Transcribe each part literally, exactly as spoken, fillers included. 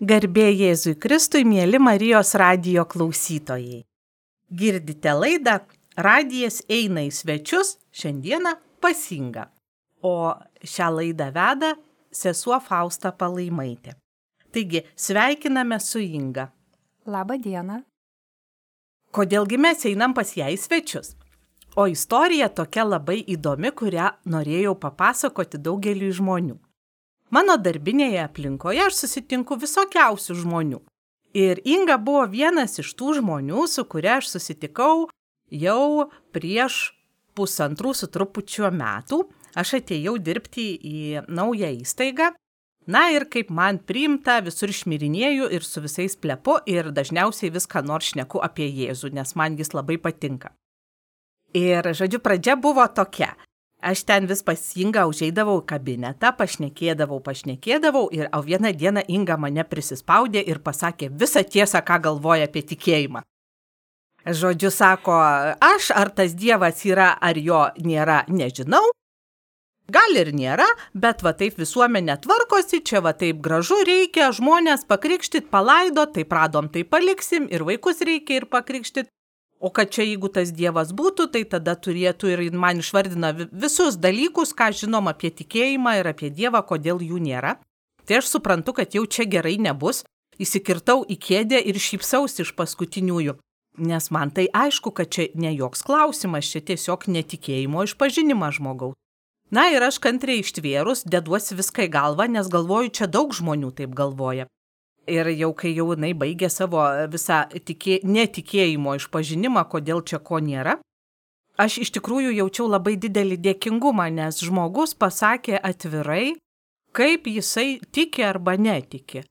Garbė Jėzui Kristui, mieli Marijos radijo klausytojai. Girdite laidą Radijas eina į svečius, šiandieną pas Ingą. O šią laidą veda sesuo Fausta Palaimaitė. Taigi, sveikiname su Inga. Labą dieną. Kodėlgi mes einam pas ją į svečius? O istorija tokia labai įdomi, kurią norėjau papasakoti daugeliui žmonių. Mano darbinėje aplinkoje aš susitinku visokiausių žmonių. Ir Inga buvo vienas iš tų žmonių, su kuria aš susitikau jau prieš pusantrų su trupučiu metų. Aš atėjau dirbti į naują įstaigą. Na ir kaip man priimta, visur šmirinėju ir su visais plepu ir dažniausiai viską nors šneku apie Jėzų, nes man jis labai patinka. Ir, žodžiu, pradžia buvo tokia. Aš ten vis pas Ingą užeidavau į kabinetą, pašnekėdavau, pašnekėdavau ir o vieną dieną Inga mane prisispaudė ir pasakė visą tiesą, ką galvoja apie tikėjimą. Žodžiu, sako, aš ar tas Dievas yra, ar jo nėra, nežinau. Gal ir nėra, bet va taip visuomenė tvarkosi, čia va taip gražu reikia, žmonės pakrikštyt, palaido, taip radom, tai paliksim ir vaikus reikia ir pakrikštyt. O kad čia jeigu tas Dievas būtų, tai tada turėtų ir man išvardina visus dalykus, ką žinom apie tikėjimą ir apie Dievą, kodėl jų nėra. Tai aš suprantu, kad jau čia gerai nebus. Įsikirtau į kėdę ir šypsausi iš paskutiniųjų. Nes man tai aišku, kad čia ne joks klausimas, čia tiesiog netikėjimo išpažinimas žmogaus. Na ir aš kantriai ištvėrus, deduosi viską į galvą, nes galvoju, čia daug žmonių taip galvoja. Ir jau kai jau jinai baigė savo visą tikė, netikėjimo išpažinimą, kodėl čia ko nėra, aš iš tikrųjų jaučiau labai didelį dėkingumą, nes žmogus pasakė atvirai, kaip jisai tiki arba netiki.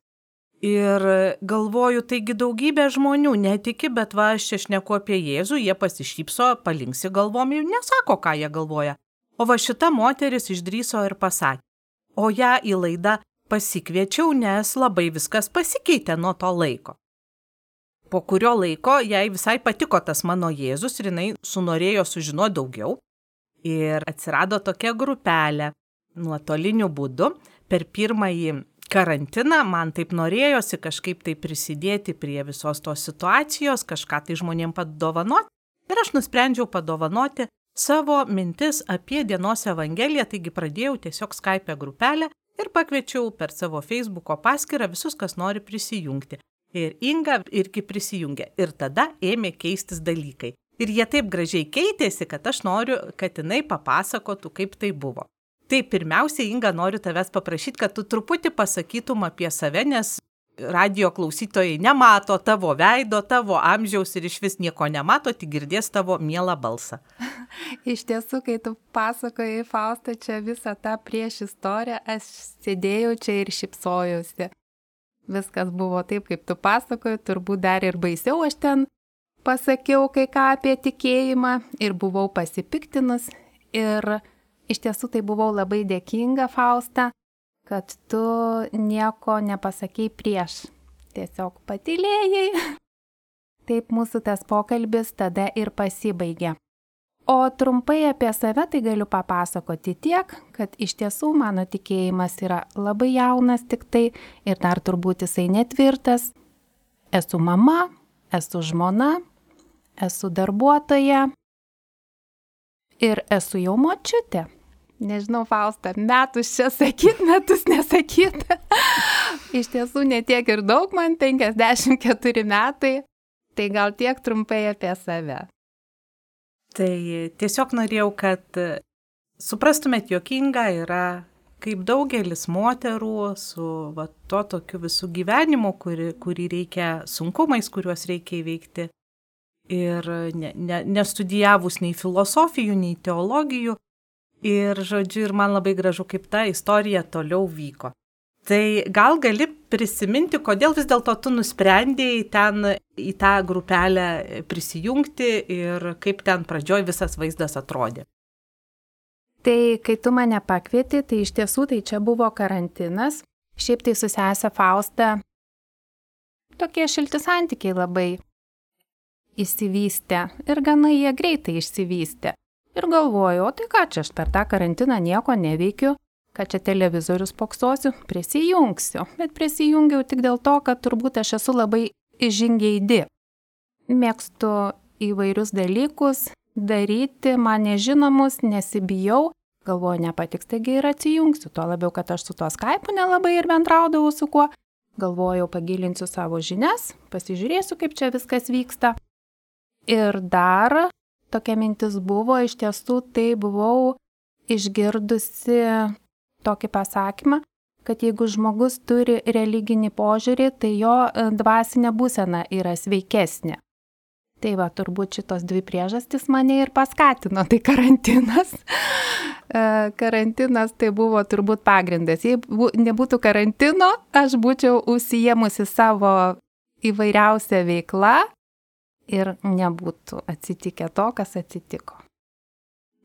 Ir galvoju, taigi daugybė žmonių netiki, bet va aš čia šneku apie Jėzų, jie pasišypso, palinksi galvom ir nesako, ką jie galvoja. O va šita moteris išdrįso ir pasakė. O ją į laidą pasikviečiau, nes labai viskas pasikeitė nuo to laiko. Po kurio laiko jai visai patiko tas mano Jėzus ir jinai sunorėjo sužinoti daugiau. Ir atsirado tokia grupelė nuotoliniu būdu. Per pirmąjį karantiną man taip norėjosi kažkaip tai prisidėti prie visos tos situacijos, kažką tai žmonėm padovanoti. Ir aš nusprendžiau padovanoti savo mintis apie dienos evangeliją, taigi pradėjau tiesiog Skype grupelę ir pakviečiau per savo Facebooko paskyrą visus, kas nori prisijungti. Ir Inga irgi prisijungė. Ir tada ėmė keistis dalykai. Ir jie taip gražiai keitėsi, kad aš noriu, kad jinai papasakotų, kaip tai buvo. Tai pirmiausia, Inga, noriu tavęs paprašyti, kad tu truputį pasakytum apie save, nes radijo klausytojai nemato tavo veido, tavo amžiaus ir iš vis nieko nemato, tik girdės tavo mielą balsą. Iš tiesų, kai tu pasakojai, Fausta, čia visą tą prieš istoriją, aš sėdėjau čia ir šypsojausi. Viskas buvo taip, kaip tu pasakojai, turbūt dar ir baisiau aš ten pasakiau kai ką apie tikėjimą ir buvau pasipiktinus. Ir iš tiesų tai buvau labai dėkinga, Fausta, kad tu nieko nepasakei prieš. Tiesiog patylėjai. Taip mūsų tas pokalbis tada ir pasibaigė. O trumpai apie save tai galiu papasakoti tiek, kad iš tiesų mano tikėjimas yra labai jaunas tik tai ir dar turbūt jisai netvirtas. Esu mama, esu žmona, esu darbuotoja ir esu jau močiutė. Nežinau, Fausta, metus čia sakyt, metus nesakyt. Iš tiesų ne tiek ir daug, man penkiasdešimt keturi metai, tai gal tiek trumpai apie save. Tai tiesiog norėjau, kad suprastumėt, jog Inga yra kaip daugelis moterų su va, to tokiu visų gyvenimu, kuri, kurį reikia, sunkumais, kuriuos reikia įveikti. Ir ne, ne, nestudijavus nei filosofijų, nei teologijų. Ir, žodžiu, ir man labai gražu, kaip ta istorija toliau vyko. Tai gal gali prisiminti, kodėl vis dėlto tu nusprendėjai ten į tą grupelę prisijungti ir kaip ten pradžioj visas vaizdas atrodė? Tai kai tu mane pakvieti, tai iš tiesų tai čia buvo karantinas. Šiaip tai su sese Fausta tokie šilti santykiai labai išsivystė ir gana jie greitai išsivystė. Ir galvoju, o tai ką čia aš per tą karantiną nieko neveikiu, kad čia televizorius poksosiu, prisijungsiu. Bet prisijungiau tik dėl to, kad turbūt aš esu labai žingeidi. Mėgstu įvairius dalykus daryti, man nežinomus, nesibijau. Galvoju, nepatiks, taigi ir atsijungsiu. Tuo labiau, kad aš su tuo Skype'u nelabai ir bendraudavau su kuo. Galvojau, pagilinsiu savo žinias, pasižiūrėsiu, kaip čia viskas vyksta. Ir dar tokia mintis buvo, iš tiesų tai buvau išgirdusi tokį pasakymą, kad jeigu žmogus turi religinį požiūrį, tai jo dvasinė būsena yra sveikesnė. Tai va, turbūt šitos dvi priežastys mane ir paskatino, tai karantinas. Karantinas tai buvo turbūt pagrindas. Jei nebūtų karantino, aš būčiau užsiėmusi savo įvairiausią veiklą ir nebūtų atsitikę to, kas atsitiko.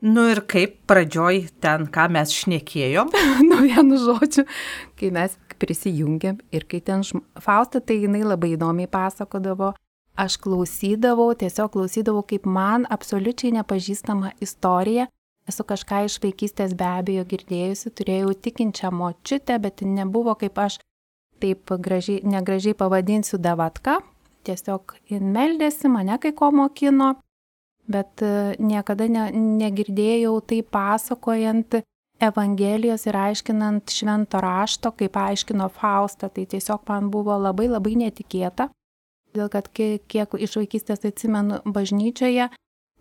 Nu ir kaip pradžioj ten, ką mes šnekėjom? Nu vienu žodžiu, kai mes prisijungėm ir kai ten šm... Fausta, tai jinai labai įdomiai pasakodavo. Aš klausydavau, tiesiog klausydavau, kaip man absoliučiai nepažįstama istorija. Esu kažką iš vaikystės be abejo girdėjusi, turėjau tikinčią močiutę, bet nebuvo kaip aš taip gražiai, negražiai pavadinsiu davatka. Tiesiog jin meldėsi, mane kai ko mokino, bet niekada ne, negirdėjau tai pasakojant Evangelijos ir aiškinant švento rašto, kaip aiškino Fausta. Tai tiesiog man buvo labai labai netikėta. Dėl kad kiek, kiek iš vaikystės atsimenu bažnyčioje,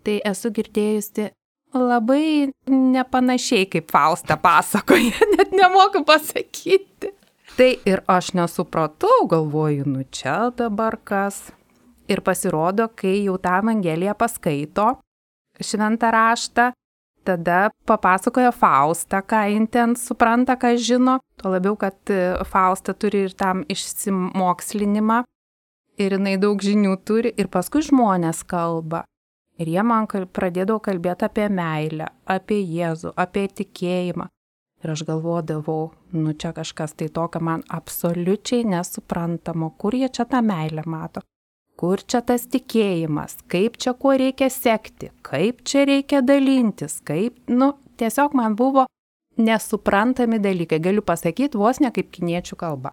tai esu girdėjusi labai nepanašiai, kaip Fausta pasakoja, net nemoku pasakyti. Tai ir aš nesupratau, galvoju, nu čia dabar kas. Ir pasirodo, kai jau tą Evangeliją paskaito, šventą raštą, tada papasakoja Fausta, ką jin ten supranta, ką žino. Tuo labiau, kad Fausta turi ir tam išsimokslinimą. Ir jinai daug žinių turi, ir paskui žmonės kalba. Ir jie man pradėdavo kalbėti apie meilę, apie Jėzų, apie tikėjimą. Ir aš galvodavau, nu čia kažkas tai tokio man absoliučiai nesuprantamo, kur jie čia tą meilę mato, kur čia tas tikėjimas, kaip čia kuo reikia sekti, kaip čia reikia dalintis, kaip, nu, tiesiog man buvo nesuprantami dalykai, galiu pasakyti, vos ne kaip kiniečių kalba.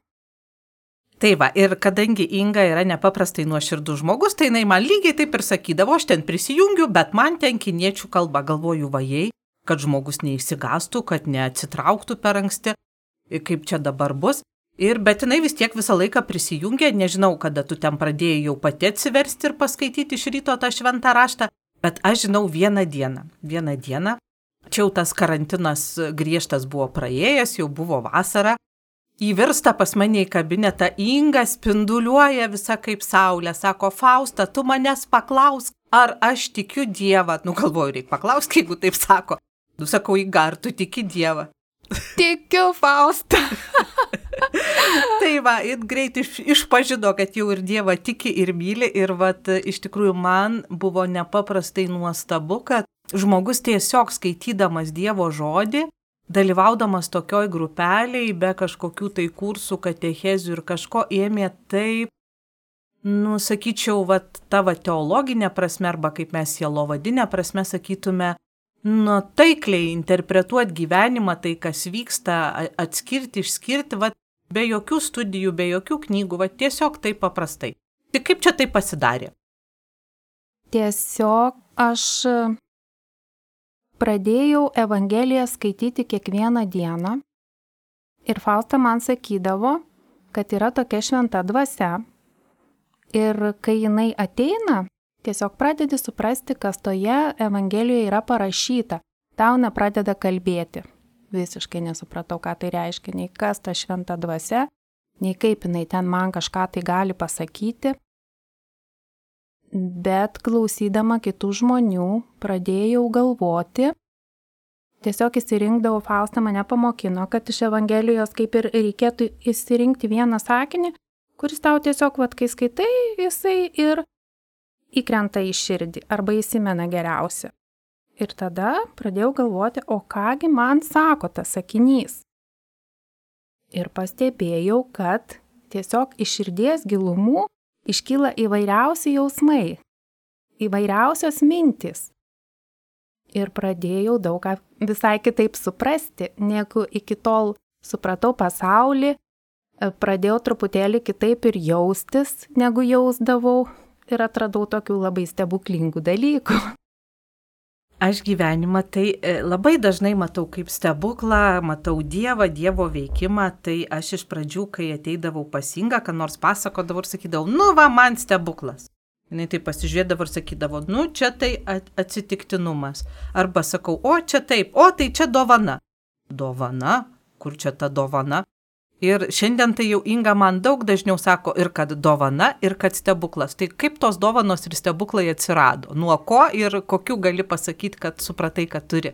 Tai va, ir kadangi Inga yra nepaprastai nuoširdus žmogus, tai jinai man lygiai taip ir sakydavo, aš ten prisijungiu, bet man ten kiniečių kalba, galvoju vajai, kad žmogus neįsigastų, kad neatsitrauktų per anksti, kaip čia dabar bus. Ir bet jinai vis tiek visą laiką prisijungė, nežinau, kada tu ten pradėjai jau pati atsiversti ir paskaityti iš ryto tą šventą raštą, bet aš žinau vieną dieną, vieną dieną, čia jau tas karantinas griežtas buvo praėjęs, jau buvo vasara. Įvirsta pas mane į kabinetą, Inga spinduliuoja visa kaip saulė, sako, Fausta, tu manęs paklausk, ar aš tikiu Dievą. Nu, galvoju, reikia paklausk, jeigu taip sako. Nu, sakau, Inga, ar tu tiki Dievą? Tikiu, Fausta. Tai va, ir greit iš, išpažino, kad jau ir Dievą tiki ir myli. Ir vat, iš tikrųjų man buvo nepaprastai nuostabu, kad žmogus tiesiog skaitydamas Dievo žodį, dalyvaudamas tokioj grupeliai, be kažkokių tai kursų, katechezių ir kažko, ėmė taip, nu, sakyčiau, vat, tavo teologinė prasme, arba kaip mes sielovadinė prasme sakytume, nu, taikliai interpretuoti gyvenimą, tai kas vyksta, atskirti, išskirti, vat, be jokių studijų, be jokių knygų, vat, tiesiog taip paprastai. Tai kaip čia tai pasidarė? Tiesiog aš pradėjau Evangeliją skaityti kiekvieną dieną ir Fausta man sakydavo, kad yra tokia šventa dvasia ir kai jinai ateina, tiesiog pradedi suprasti, kas toje Evangelijoje yra parašyta, tau nepradeda kalbėti. Visiškai nesupratau, ką tai reiškia, nei kas ta šventa dvasia, nei kaip jinai ten man kažką tai gali pasakyti. Bet klausydama kitų žmonių pradėjau galvoti, tiesiog įsirinkdavau, Fausta mane pamokino, kad iš Evangelijos kaip ir reikėtų įsirinkti vieną sakinį, kuris tau tiesiog, vat, kai skaitai, jisai ir įkrenta į širdį arba įsimena geriausia. Ir tada pradėjau galvoti, o kągi man sako tas sakinys. Ir pastebėjau, kad tiesiog iš širdies gilumų iškyla įvairiausi jausmai, įvairiausios mintys. ir pradėjau daug ką visai kitaip suprasti, negu iki tol supratau pasaulį, pradėjau truputėlį kitaip ir jaustis, negu jausdavau ir atradau tokių labai stebuklingų dalykų. Aš gyvenimą tai labai dažnai matau kaip stebuklą, matau Dievą, Dievo veikimą, tai aš iš pradžių, kai ateidavau pas Ingą, ką nors pasakodavau ir sakydavau, nu va, man stebuklas. Jis tai pasižiūrėdavo ir sakydavo, nu čia tai atsitiktinumas. Arba sakau, o čia taip, o tai čia dovana. Dovana? Kur čia ta dovana? Ir šiandien tai jau Inga man daug dažniau sako ir kad dovana, ir kad stebuklas. Tai kaip tos dovanos ir stebuklai atsirado? Nuo ko ir kokių gali pasakyti, kad supratai, kad turi?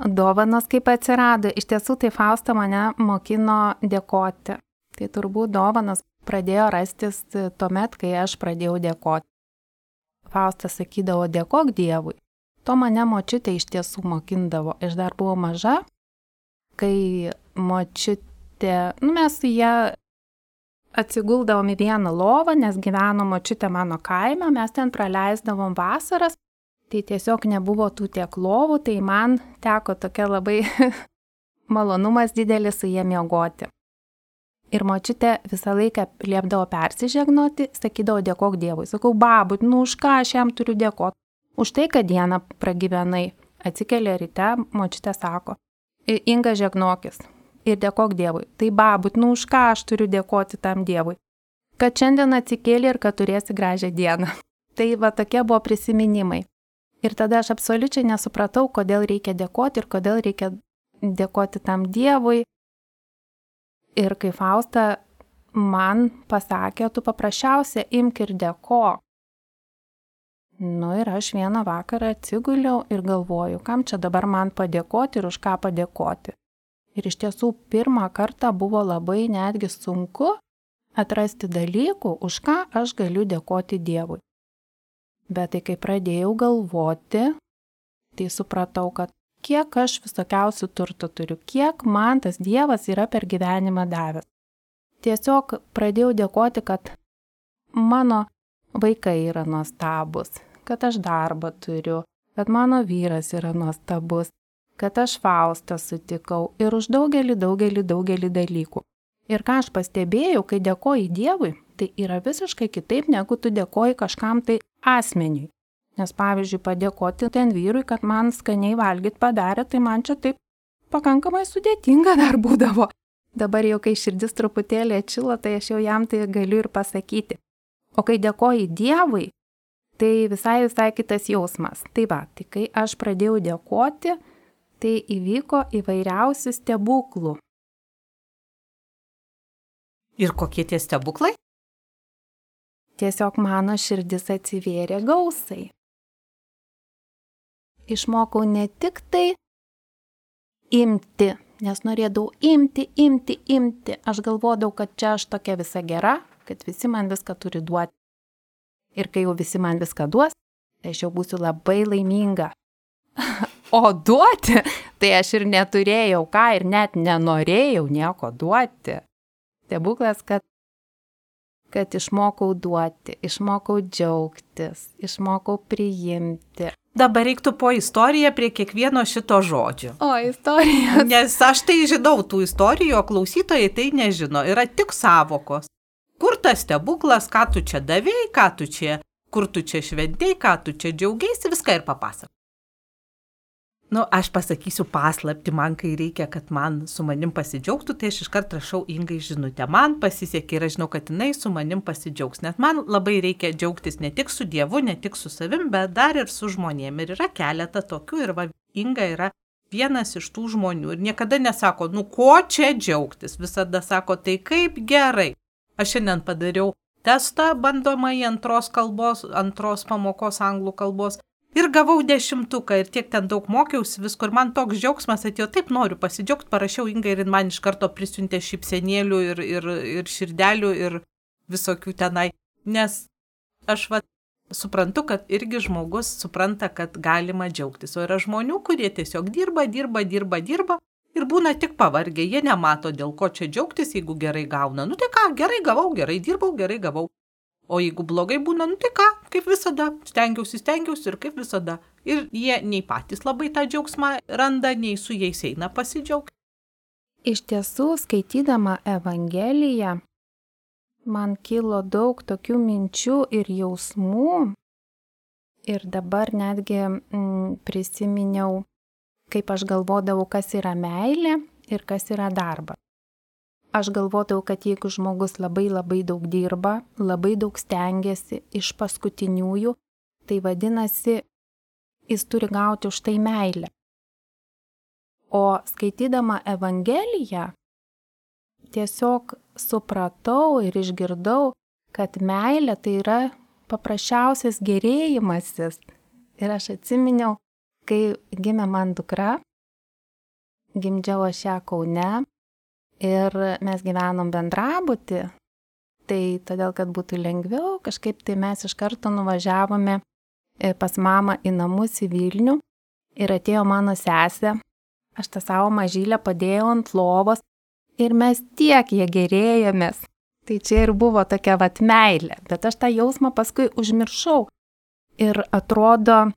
Dovanos kaip atsirado. Iš tiesų tai Fausta mane mokino dėkoti. Tai turbūt dovanos pradėjo rastis tuomet, kai aš pradėjau dėkoti. Fausta sakydavo, dėkok Dievui. To mane močiutė iš tiesų mokindavo. Aš dar buvau maža, kai močiutė, nu mes su ją atsiguldavom į vieną lovą, nes gyveno močiutė mano kaime, mes ten praleisdavom vasaras, tai tiesiog nebuvo tų tiek lovų, tai man teko tokia labai malonumas didelis su jie miegoti. Ir močiutė visą laiką liepdavo persižegnoti, sakydavo dėkok Dievui. Sakau, babut, nu už ką aš jam turiu dėkoti? Už tai, kad dieną pragyvenai. Atsikėlė ryte, močiutė sako, Inga žegnokis ir dėkok Dievui. Tai babut, nu už ką aš turiu dėkoti tam Dievui? Kad šiandien atsikėlė ir kad turėsi gražią dieną. Tai va tokie buvo prisiminimai. Ir tada aš absoliučiai nesupratau, kodėl reikia dėkoti ir kodėl reikia dėkoti tam Dievui. Ir kai Fausta man pasakė, tu paprasčiausia imk ir dėkok. Nu ir aš vieną vakarą atsiguliau ir galvoju, kam čia dabar man padėkoti ir už ką padėkoti. Ir iš tiesų pirmą kartą buvo labai netgi sunku atrasti dalykų, už ką aš galiu dėkoti Dievui. Bet tai kai pradėjau galvoti, tai supratau, kad kiek aš visokiausių turtų turiu, kiek man tas Dievas yra per gyvenimą davęs. Tiesiog pradėjau dėkoti, kad mano vaikai yra nuostabus, kad aš darbą turiu, kad mano vyras yra nuostabus, kad aš Faustą sutikau ir už daugelį, daugelį, daugelį dalykų. Ir ką aš pastebėjau, kai dėkoji Dievui, tai yra visiškai kitaip, negu tu dėkoji kažkam tai asmeniui. Nes pavyzdžiui, padėkoti ten vyrui, kad man skaniai valgyt padarė, tai man čia taip pakankamai sudėtinga dar būdavo. Dabar jau, kai širdis truputėlį atšilo, tai aš jau jam tai galiu ir pasakyti. O kai dėkoji Dievui, tai visai visai kitas jausmas. Tai va, tai kai aš pradėjau dėkoti, tai įvyko įvairiausių stebuklų. Ir kokie tie stebuklai? Tiesiog mano širdis atsivėrė gausai. Išmokau ne tik tai imti, nes norėdavau imti, imti, imti. Aš galvodavau, kad čia aš tokia visa gera, kad visi man viską turi duoti. Ir kai jau visi man viską duos, tai aš jau būsiu labai laiminga. O duoti, tai aš ir neturėjau ką ir net nenorėjau nieko duoti. Stebuklas, kad kad išmokau duoti, išmokau džiaugtis, išmokau priimti. Dabar reiktų po istoriją prie kiekvieno šito žodžio. O, istorija. Nes aš tai žinau tų istorijų, o klausytojai tai nežino. Yra tik savokos. Kur tas stebuklas, ką tu čia davėjai, ką tu čia, kur tu čia šventėjai, ką tu čia džiaugiaisi, viską ir papasakok. Nu, aš pasakysiu paslaptį, man kai reikia, kad man su manim pasidžiaugtų, tai aš iškart rašau Ingai žinutę. Man pasisekė ir aš žinau, kad jinai su manim pasidžiaugs, nes man labai reikia džiaugtis ne tik su Dievu, ne tik su savim, bet dar ir su žmonėm. Ir yra keletą tokių ir va, Inga yra vienas iš tų žmonių ir niekada nesako, nu ko čia džiaugtis, visada sako, tai kaip gerai. Aš šiandien padariau testą bandomąjį antros kalbos, antros pamokos anglų kalbos. Ir gavau dešimtuką ir tiek ten daug mokiausi visko ir man toks džiaugsmas atėjo, taip noriu pasidžiaugti, parašiau Ingai ir man iš karto prisiuntė šypsenėlių ir, ir, ir širdelių ir visokių tenai. Nes aš va, suprantu, kad irgi žmogus supranta, kad galima džiaugtis. O yra žmonių, kurie tiesiog dirba, dirba, dirba, dirba ir būna tik pavargę. Jie nemato, dėl ko čia džiaugtis, jeigu gerai gauna. Nu tai ką, gerai gavau, gerai dirbau, gerai gavau. O jeigu blogai būna, nu tai ką, kaip visada, stengiausi, stengiausi ir kaip visada. Ir jie nei patys labai tą džiaugsmą randa, nei su jais eina pasidžiaugti. Iš tiesų, skaitydama Evangeliją, man kilo daug tokių minčių ir jausmų. Ir dabar netgi mm, prisiminiau, kaip aš galvodavau, kas yra meilė ir kas yra darbas. Aš galvodavau, kad jeigu žmogus labai labai daug dirba, labai daug stengiasi iš paskutiniųjų, tai vadinasi, jis turi gauti už tai meilę. O skaitydama Evangeliją, tiesiog supratau ir išgirdau, kad meilė tai yra paprasčiausias gerėjimasis. Ir aš atsiminiau, kai gimė man dukra, gimdžiau aš ją Kaune ir mes gyvenom bendrabuty, tai todėl, kad būtų lengviau, kažkaip tai mes iš karto nuvažiavome pas mamą į namus į Vilnių ir atėjo mano sesė. Aš tą savo mažylę padėjau ant lovos ir mes tiek jie gerėjomės. Tai čia ir buvo tokia vat meilė, bet aš tą jausmą paskui užmiršau. Ir atrodo,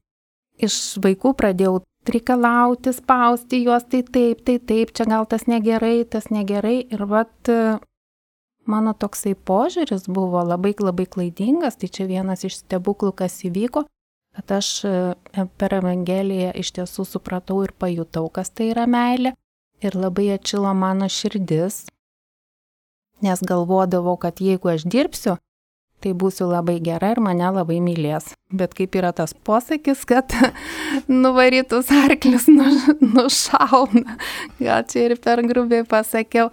iš vaikų pradėjau reikalauti, spausti juos, tai taip, tai taip, čia gal tas negerai, tas negerai. Ir vat mano toksai požiūris buvo labai labai klaidingas, tai čia vienas iš stebuklų, kas įvyko. Bet aš per Evangeliją iš tiesų supratau ir pajutau, kas tai yra meilė. Ir labai atšilo mano širdis, nes galvodavau, kad jeigu aš dirbsiu, tai būsiu labai gera ir mane labai mylės. Bet kaip yra tas posakis, kad nuvarytus arklius nušauna. Gal čia ir per grubiai pasakiau.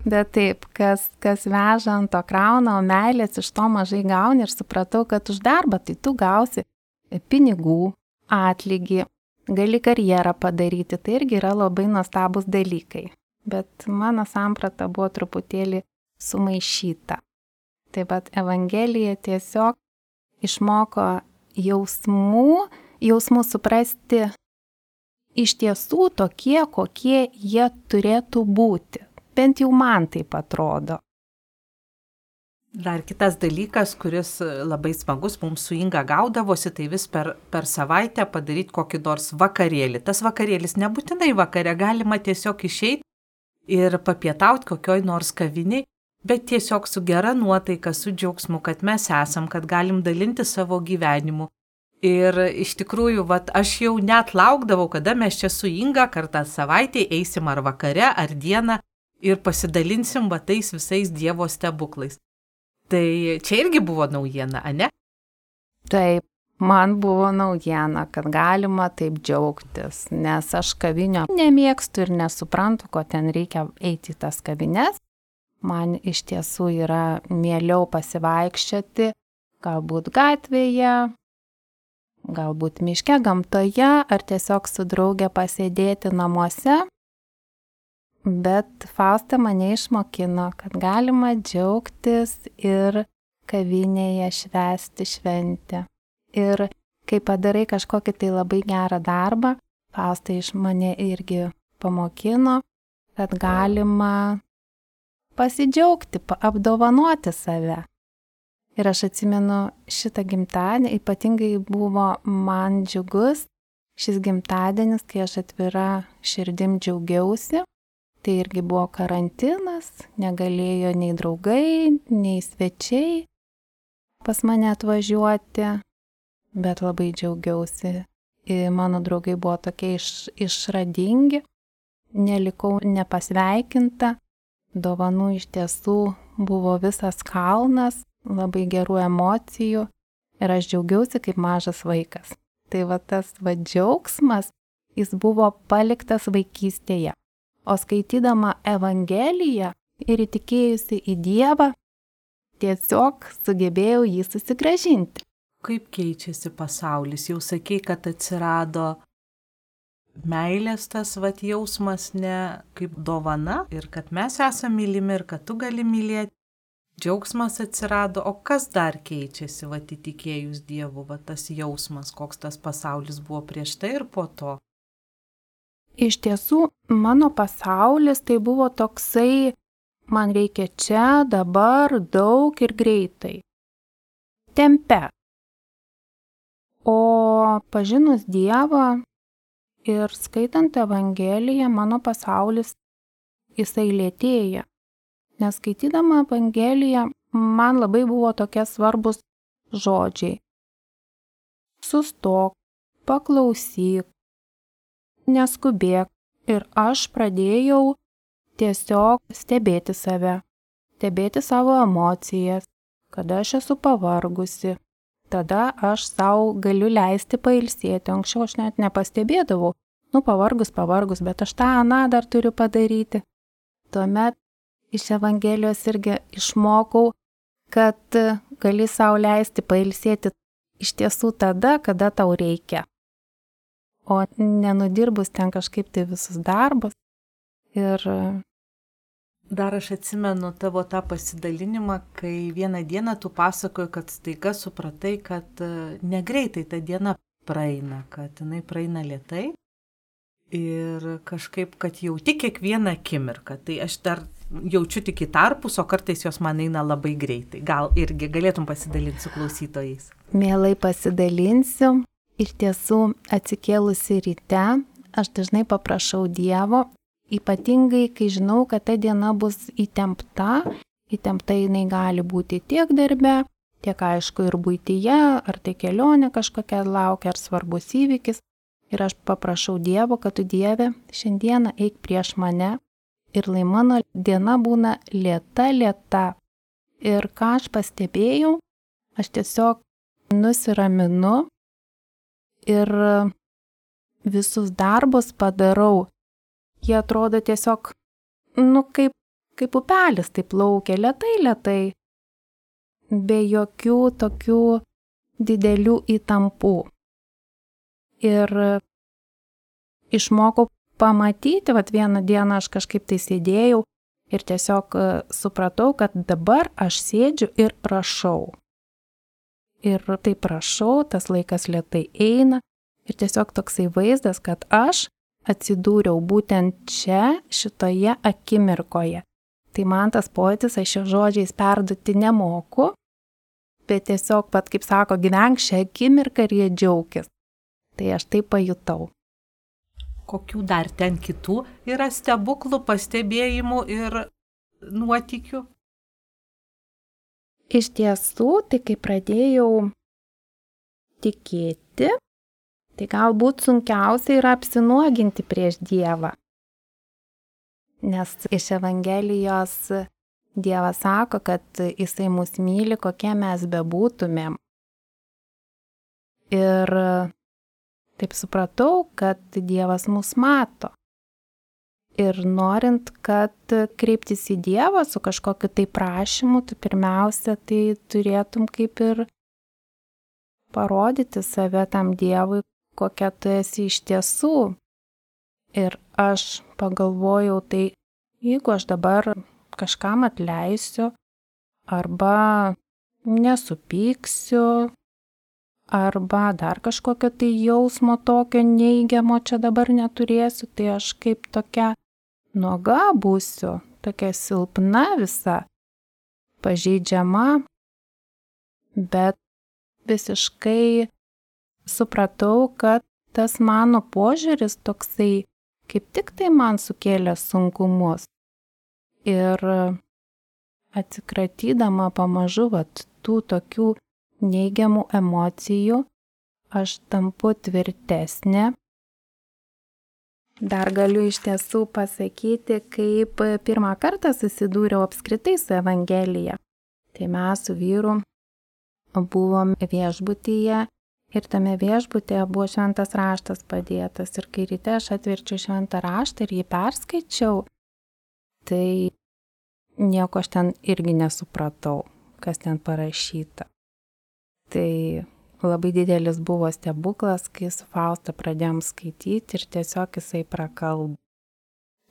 Bet taip, kas, kas veža ant to krauna, o meilės iš to mažai gauni ir supratau, kad už darbą tai tu gausi pinigų, atlygį, gali karjerą padaryti, tai irgi yra labai nuostabus dalykai. Bet mano samprata buvo truputėlį sumaišyta. Taip pat Evangelija tiesiog išmoko jausmų, jausmų suprasti iš tiesų tokie, kokie jie turėtų būti. Bent jau man taip atrodo. Dar kitas dalykas, kuris labai smagus mums su Inga gaudavosi, tai vis per, per savaitę padaryti kokį nors vakarėlį. Tas vakarėlis nebūtinai vakare, galima tiesiog išeiti ir papietauti kokioj nors kaviniai, bet tiesiog su gera nuotaika, su džiaugsmu, kad mes esam, kad galim dalinti savo gyvenimu. Ir iš tikrųjų, vat, aš jau net laukdavau, kada mes čia su Inga kartą savaitėje eisim ar vakare, ar dieną ir pasidalinsim va tais visais Dievo stebuklais. Tai čia irgi buvo naujiena, ane? Taip, man buvo naujiena, kad galima taip džiaugtis, nes aš kavinio nemėgstu ir nesuprantu, ko ten reikia eiti į tas kavines. Man iš tiesų yra mieliau pasivaikščioti, galbūt gatvėje, galbūt miške, gamtoje, ar tiesiog su drauge pasėdėti namuose. Bet Fausta mane išmokino, kad galima džiaugtis ir kavinėje švęsti šventę. Ir kai padarai kažkokį tai labai gerą darbą, Fausta iš mane irgi pamokino, kad galima pasidžiaugti, apdovanoti save. Ir aš atsimenu šitą gimtadienį, ypatingai buvo man džiugus šis gimtadienis, kai aš atvira širdim džiaugiausi. Tai irgi buvo karantinas, negalėjo nei draugai, nei svečiai pas mane atvažiuoti, bet labai džiaugiausi. Ir mano draugai buvo tokie iš, išradingi, nelikau nepasveikinta, dovanų iš tiesų buvo visas kalnas, labai gerų emocijų ir aš džiaugiausi kaip mažas vaikas. Tai va tas va džiaugsmas, jis buvo paliktas vaikystėje. O skaitydama Evangeliją ir įtikėjusi į Dievą, tiesiog sugebėjau jį susigrąžinti. Kaip keičiasi pasaulis? Jau sakei, kad atsirado meilės tas vat jausmas ne kaip dovana ir kad mes esame mylimi ir kad tu gali mylėti. Džiaugsmas atsirado, o kas dar keičiasi vat įtikėjus Dievu, vat tas jausmas, koks tas pasaulis buvo prieš tai ir po to? Iš tiesų, mano pasaulis tai buvo toksai, man reikia čia, dabar, daug ir greitai. tempe. O pažinus Dievą ir skaitant Evangeliją, mano pasaulis jisai lėtėja. Nes skaitydama Evangeliją, man labai buvo tokie svarbus žodžiai. Sustok, paklausyk, neskubėk. Ir aš pradėjau tiesiog stebėti save, stebėti savo emocijas, kada aš esu pavargusi. Tada aš savo galiu leisti pailsėti. Anksčiau aš net nepastebėdavau. Nu, pavargus, pavargus, bet aš tą aną dar turiu padaryti. Tuomet iš Evangelijos irgi išmokau, kad gali savo leisti pailsėti iš tiesų tada, kada tau reikia. O nenudirbus ten kažkaip tai visus darbus. Ir dar aš atsimenu tavo tą pasidalinimą, kai vieną dieną tu pasakoji, kad staiga supratai, kad negreitai ta diena praeina, kad jinai praeina lėtai ir kažkaip, kad jauti kiekvieną akimirką. Tai aš dar jaučiu tik į tarpus, o kartais jos man eina labai greitai. Gal irgi galėtum pasidalinti su klausytojais? Mielai pasidalinsiu. Ir tiesų, atsikėlusi ryte, aš dažnai paprašau Dievo, ypatingai, kai žinau, kad ta diena bus įtempta, įtempta jinai gali būti tiek darbe, tiek aišku ir buityje, ar tai kelionė kažkokia laukia, ar svarbus įvykis. Ir aš paprašau Dievo, kad tu Dieve šiandieną eik prieš mane ir lai mano diena būna lėta, lėta. Ir ką aš pastebėjau, aš tiesiog nusiraminu ir visus darbus padarau. Jie atrodo tiesiog, nu, kaip, kaip upelis, taip plaukia lėtai, lėtai, be jokių tokių didelių įtampų. Ir išmokau pamatyti, vat vieną dieną aš kažkaip tai sėdėjau ir tiesiog supratau, kad dabar aš sėdžiu ir rašau. Ir taip rašau, tas laikas lėtai eina ir tiesiog toksai vaizdas, kad aš atsidūriau būtent čia, šitoje akimirkoje. Tai man tas pojūtis, aš šio žodžiais perduoti nemoku, bet tiesiog, pat kaip sako, gyvenk šią akimirką ir jie džiaukis. Tai aš tai pajutau. Kokių dar ten kitų yra stebuklų, pastebėjimų ir nuotykių? Iš tiesų, tai kai pradėjau tikėti, tai galbūt sunkiausia yra apsinuoginti prieš Dievą. Nes iš Evangelijos Dievas sako, kad jisai mus myli, kokie mes bebūtumėm. Ir taip supratau, kad Dievas mus mato. Ir norint, kad kreiptis į Dievą su kažkokiu tai prašymu, tu pirmiausia, tai turėtum kaip ir parodyti save tam Dievui, kokia tu esi iš tiesų. Ir aš pagalvojau, tai jeigu aš dabar kažkam atleisiu, arba nesupyksiu, arba dar kažkokio tai jausmo tokio neigiamo čia dabar neturėsiu, tai aš kaip tokia nuoga būsiu, tokia silpna visa, pažeidžiama, bet visiškai supratau, kad tas mano požiūris toksai kaip tik tai man sukėlė sunkumus. Ir atsikratydama pamažu vat, tų tokių neigiamų emocijų, aš tampu tvirtesnė. Dar galiu iš tiesų pasakyti, kaip pirmą kartą susidūriau apskritai su Evangelija. Tai mes su vyru buvom viešbutyje ir tame viešbutyje buvo šventas raštas padėtas. Ir kai ryte aš atverčiau šventą raštą ir jį perskaičiau, tai nieko aš ten irgi nesupratau, kas ten parašyta. Tai labai didelis buvo stebuklas, kai su Fausta pradėjom skaityti ir tiesiog jisai prakalbo.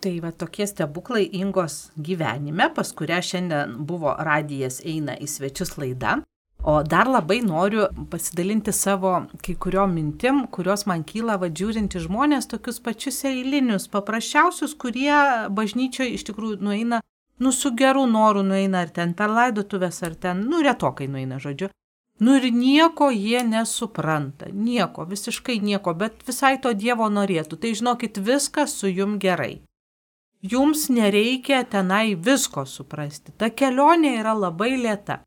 Tai va tokie stebuklai Ingos gyvenime, pas kurią šiandien buvo radijas eina į svečius laida. O dar labai noriu pasidalinti savo kai kuriom mintim, kurios man kyla vadžiūrinti žmonės, tokius pačius eilinius, paprasčiausius, kurie bažnyčioje iš tikrųjų nueina, nu su geru noru nueina, ar ten per laidotuvės, ar ten, nu retokai nueina, žodžiu. Nu ir nieko jie nesupranta, nieko, visiškai nieko, bet visai to Dievo norėtų. Tai žinokit, viskas su jum gerai. Jums nereikia tenai visko suprasti. Ta kelionė yra labai lėta.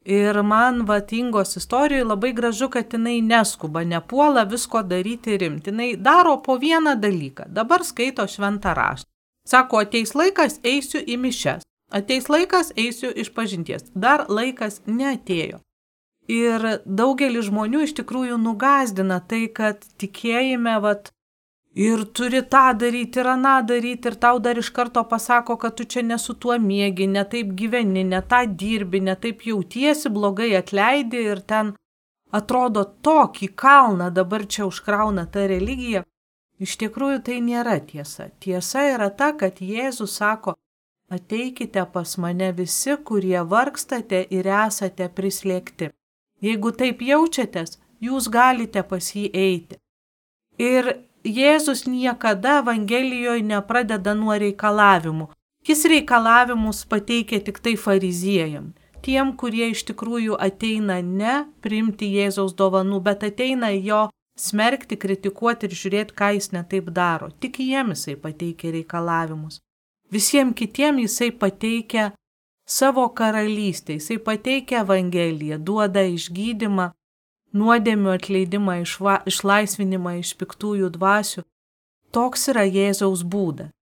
Ir man vat Ingos istorijoje labai gražu, kad jinai neskuba, nepuola visko daryti rimti. Jinai daro po vieną dalyką. Dabar skaito šventą raštą. Sako, ateis laikas, eisiu į mišes. Ateis laikas, eisiu iš pažinties. Dar laikas neatėjo. Ir daugelis žmonių iš tikrųjų nugazdina tai, kad tikėjime vat, ir turi tą daryti, ir aną daryti, ir tau dar iš karto pasako, kad tu čia ne su tuo miegi, ne taip gyveni, ne tą dirbi, ne taip jautiesi, blogai atleidi ir ten atrodo tokį kalną dabar čia užkrauna ta religija. Iš tikrųjų tai nėra tiesa. Tiesa yra ta, kad Jėzus sako, ateikite pas mane visi, kurie vargstate ir esate prislėgti. Jeigu taip jaučiatės, jūs galite pas jį eiti. Ir Jėzus niekada Evangelijoje nepradeda nuo reikalavimų. Jis reikalavimus pateikia tik tai fariziejam. Tiem, kurie iš tikrųjų ateina ne priimti Jėzaus dovanų, bet ateina jo smerkti, kritikuoti ir žiūrėti, ką jis netaip daro. Tik jiem jisai pateikia reikalavimus. Visiems kitiem jisai pateikia savo karalystę, jisai pateikia Evangeliją, duoda išgydymą, nuodėmių atleidimą, išva, išlaisvinimą iš piktųjų dvasių. Toks yra Jėzaus būdas.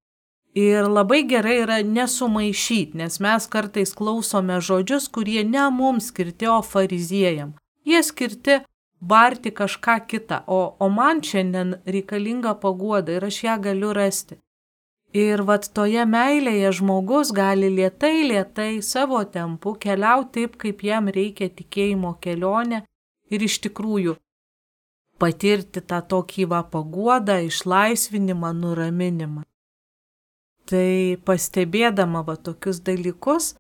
Ir labai gerai yra nesumaišyti, nes mes kartais klausome žodžius, kurie ne mums skirti, o fariziejam. Jie skirti barti kažką kitą, o, o man šiandien reikalinga paguoda ir aš ją galiu rasti. Ir vat toje meilėje žmogus gali lėtai, lėtai savo tempu keliauti taip, kaip jam reikia tikėjimo kelionę ir iš tikrųjų patirti tą tokį va paguodą, išlaisvinimą, nuraminimą. Tai pastebėdama va tokius dalykus,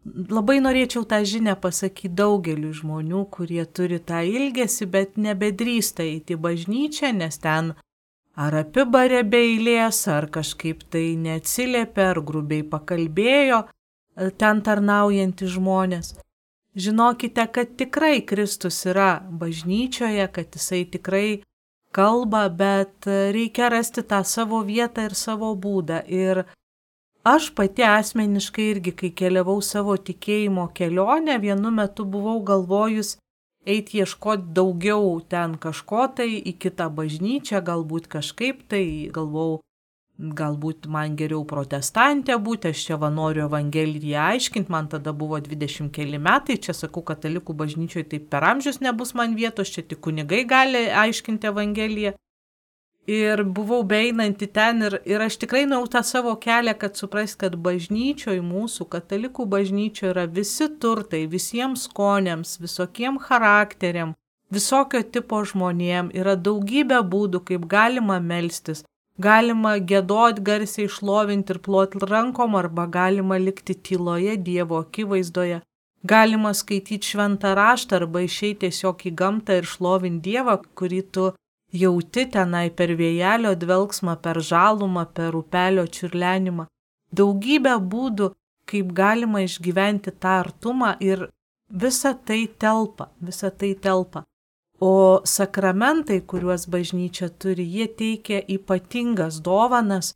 labai norėčiau tą žinią pasakyti daugeliu žmonių, kurie turi tą ilgesį, bet nebedrįsta eiti į bažnyčią, nes ten ar apibarė be eilės, ar kažkaip tai neatsiliepė, ar grubiai pakalbėjo ten tarnaujantys žmonės. Žinokite, kad tikrai Kristus yra bažnyčioje, kad jisai tikrai kalba, bet reikia rasti tą savo vietą ir savo būdą. Ir aš pati asmeniškai irgi, kai keliavau savo tikėjimo kelionę, vienu metu buvau galvojus eiti ieškoti daugiau ten kažko tai į kitą bažnyčią, galbūt kažkaip tai, galvau, galbūt man geriau protestantė būti, aš čia va noriu Evangeliją aiškinti, man tada buvo dvidešimt keli metai, čia sakau, katalikų bažnyčioje taip per amžius nebus man vietos, čia tik kunigai gali aiškinti Evangeliją. Ir buvau beeinanti ten ir, ir aš tikrai nuėjau tą savo kelią, kad suprast, kad bažnyčioje mūsų, katalikų bažnyčioje yra visi turtai, visiems skoniams, visokiem charakteriam, visokio tipo žmonėm, yra daugybė būdų, kaip galima melstis, galima giedoti garsiai, šlovinti ir ploti rankom, arba galima likti tyloje Dievo akivaizdoje, galima skaityti šventą raštą arba išeiti tiesiog į gamtą ir šlovinti Dievą, kurį tu jauti tenai per vėjelio dvelksmą, per žalumą, per upelio čiurlenimą. Daugybė būdų, kaip galima išgyventi tą artumą ir visa tai telpa, visa tai telpa. O sakramentai, kuriuos bažnyčia turi, jie teikia ypatingas dovanas,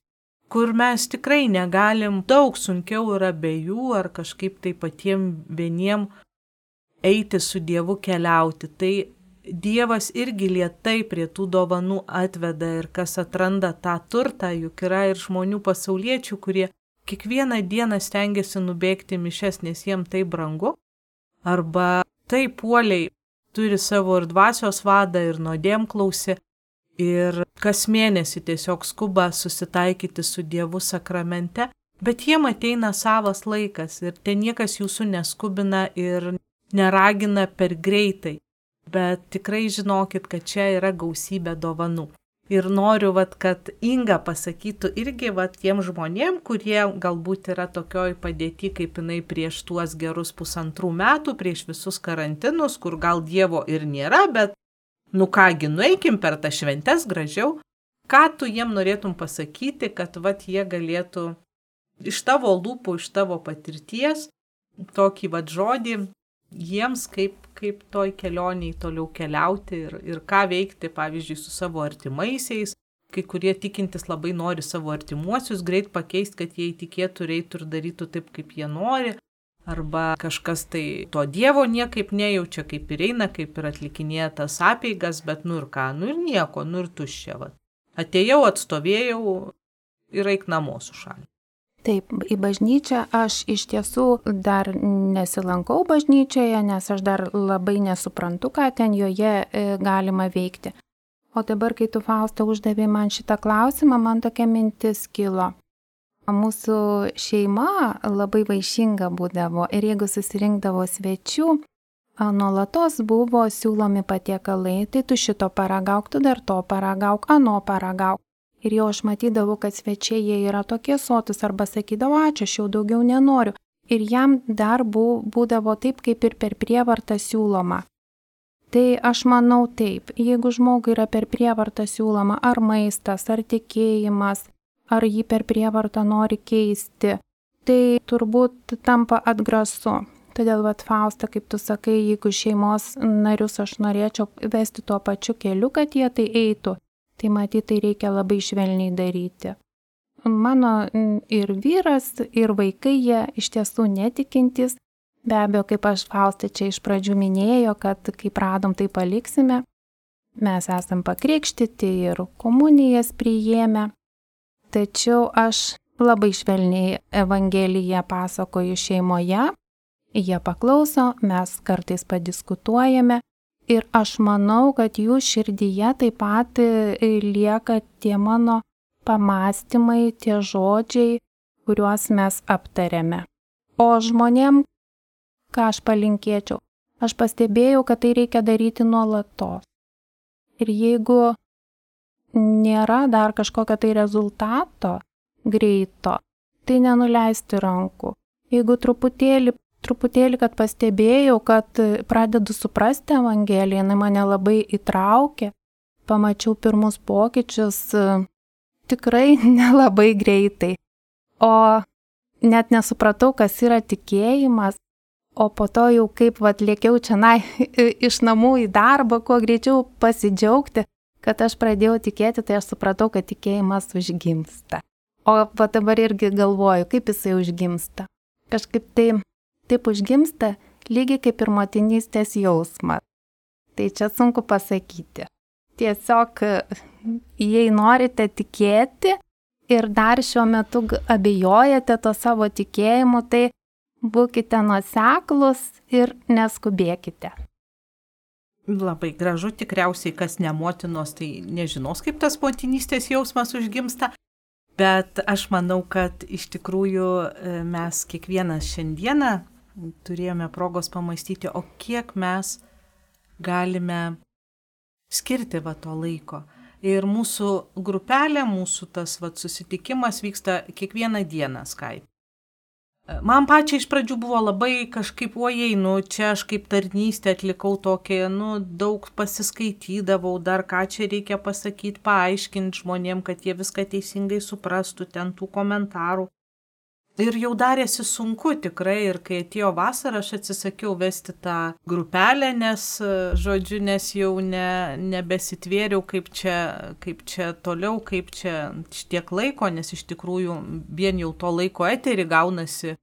kur mes tikrai negalim, daug sunkiau yra be jų ar kažkaip tai patiem vieniem eiti su Dievu keliauti. Tai Dievas irgi lėtai prie tų dovanų atveda ir kas atranda tą turtą, juk yra ir žmonių pasauliečių, kurie kiekvieną dieną stengiasi nubėgti mišes, nes jiem tai brangu, arba taip puoliai turi savo ir dvasios vadą, ir nuodėmklausį, ir kas mėnesį tiesiog skuba susitaikyti su Dievu sakramente, bet jiem ateina savas laikas ir ten niekas jūsų neskubina ir neragina per greitai. Bet tikrai žinokit, kad čia yra gausybė dovanų. Ir noriu, vat, kad Inga pasakytų irgi vat, tiem žmonėm, kurie galbūt yra tokioj padėti, kaip jinai prieš tuos gerus pusantrų metų, prieš visus karantinus, kur gal Dievo ir nėra, bet nu kągi, nueikim per tą šventes gražiau. Ką tu jiem norėtum pasakyti, kad vat, jie galėtų iš tavo lūpų, iš tavo patirties, tokį vat, žodį jiems kaip, kaip toj kelioniai toliau keliauti ir, ir ką veikti, pavyzdžiui, su savo artimaisiais. Kai kurie tikintys labai nori savo artimuosius greit pakeisti, kad jie įtikėtų ir eitų ir darytų taip, kaip jie nori. Arba kažkas tai to Dievo niekaip nejaučia, kaip ir eina, kaip ir atlikinėja tas apeigas, bet nu ir ką, nu ir nieko, nu ir tuščia. Va. Atėjau, atstovėjau ir eik namo su šalį. Taip, į bažnyčią aš iš tiesų dar nesilankau bažnyčioje, nes aš dar labai nesuprantu, ką ten joje galima veikti. O dabar, kai tu, Fausta, uždavė man šitą klausimą, man tokia mintis kilo. Mūsų šeima labai vaišinga būdavo ir jeigu susirinkdavo svečių, nuolatos buvo siūlomi patiekalai, tai tu šito paragauk, tu dar to paragauk, ano paragauk. Ir jau aš matydavau, kad svečiai jie yra tokie sotus arba sakydavo, ačiū, aš jau daugiau nenoriu. Ir jam dar būdavo taip, kaip ir per prievartą siūloma. Tai aš manau taip, jeigu žmogui yra per prievartą siūloma ar maistas, ar tikėjimas, ar jį per prievartą nori keisti, tai turbūt tampa atgrasu. Todėl, vat, Fausta, kaip tu sakai, jeigu šeimos narius aš norėčiau vesti tuo pačiu keliu, kad jie tai eitų, tai matyt, tai reikia labai švelniai daryti. Mano ir vyras, ir vaikai, jie iš tiesų netikintys. Be abejo, kaip aš, Fausta, čia iš pradžių minėjo, kad kaip radom, tai paliksime. Mes esam pakrikštyti ir komunijas priėmę. Tačiau aš labai švelniai Evangeliją pasakoju šeimoje. Jie paklauso, mes kartais padiskutuojame. Ir aš manau, kad jų širdyje taip pat lieka tie mano pamastymai, tie žodžiai, kuriuos mes aptarėme. O žmonėm, ką aš palinkėčiau, aš pastebėjau, kad tai reikia daryti nuolatos. Ir jeigu nėra dar kažkokio tai rezultato greito, tai nenuleisti rankų. Jeigu truputėlį Truputėlį, kad pastebėjau, kad pradedu suprasti Evangeliją, jinai mane labai įtraukė, pamačiau pirmus pokyčius tikrai nelabai greitai. O net nesupratau, kas yra tikėjimas, o po to jau kaip vat lėkiau čionai iš namų į darbą, kuo greičiau pasidžiaugti, kad aš pradėjau tikėti, tai aš supratau, kad tikėjimas užgimsta. O va dabar irgi galvoju, kaip jisai užgimsta. Kažkaip tai Taip užgimsta lygiai kaip ir motinystės jausmas. Tai čia sunku pasakyti. Tiesiog, jei norite tikėti ir dar šiuo metu abejojate to savo tikėjimu, tai būkite nuoseklūs ir neskubėkite. Labai gražu, tikriausiai kas ne motinos, tai nežinos, kaip tas motinystės jausmas užgimsta. Bet aš manau, kad iš tikrųjų mes kiekvienas šiandieną turėjome progos pamastyti, o kiek mes galime skirti va to laiko. Ir mūsų grupelė, mūsų tas va susitikimas vyksta kiekvieną dieną Skype. Man pačiai iš pradžių buvo labai kažkaip, ojei, nu čia aš kaip tarnystę atlikau tokį, nu daug pasiskaitydavau, dar ką čia reikia pasakyti, paaiškinti žmonėm, kad jie viską teisingai suprastų, ten tų komentarų. Ir jau darėsi sunku tikrai, ir kai atėjo vasara, aš atsisakiau vesti tą grupelę, nes, žodžiu, nes jau ne, nebesitvėriau, kaip čia, kaip čia toliau, kaip čia šitiek laiko, nes iš tikrųjų vien jau to laiko eterį gaunasi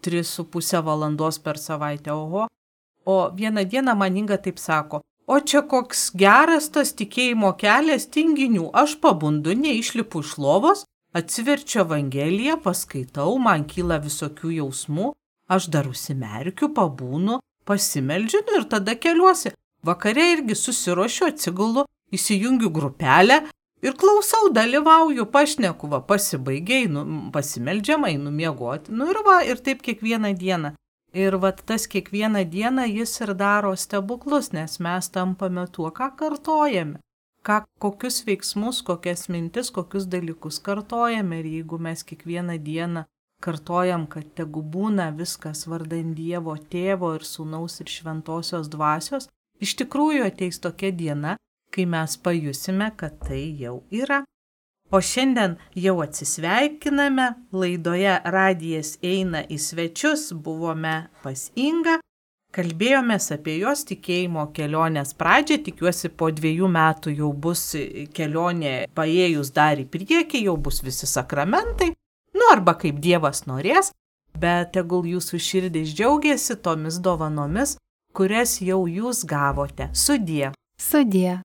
tris su pusę valandos per savaitę, oho. O vieną dieną man Inga taip sako, o čia koks geras tas tikėjimo kelias tinginių, aš pabundu, neišlipu iš lovos, atsiverčiu Evangeliją, paskaitau, man kyla visokių jausmų, aš dar užsimerkiu, pabūnu, pasimeldžiu ir tada keliuosi. Vakare irgi susiruošiu, atsigulu, įsijungiu grupelę ir klausau, dalyvauju, pašneku, va, pasibaigiai, nu, pasimeldžiamai, numiegoti. Nu ir va, ir taip kiekvieną dieną. Ir va, tas kiekvieną dieną jis ir daro stebuklus, nes mes tampame tuo, ką kartojame. Ką, kokius veiksmus, kokias mintis, kokius dalykus kartojame. Ir jeigu mes kiekvieną dieną kartojam, kad tegu būna viskas vardan Dievo Tėvo ir Sūnaus ir Šventosios Dvasios, iš tikrųjų ateis tokia diena, kai mes pajusime, kad tai jau yra. O šiandien jau atsisveikiname, laidoje Radijas eina į svečius, buvome pas Ingą. Kalbėjomės apie jos tikėjimo kelionės pradžią, tikiuosi po dviejų metų jau bus kelionė paėjus dar į priekį, jau bus visi sakramentai, nu arba kaip Dievas norės, bet tegul jūsų širdis džiaugiasi tomis dovanomis, kurias jau jūs gavote. Sudie. Sudie.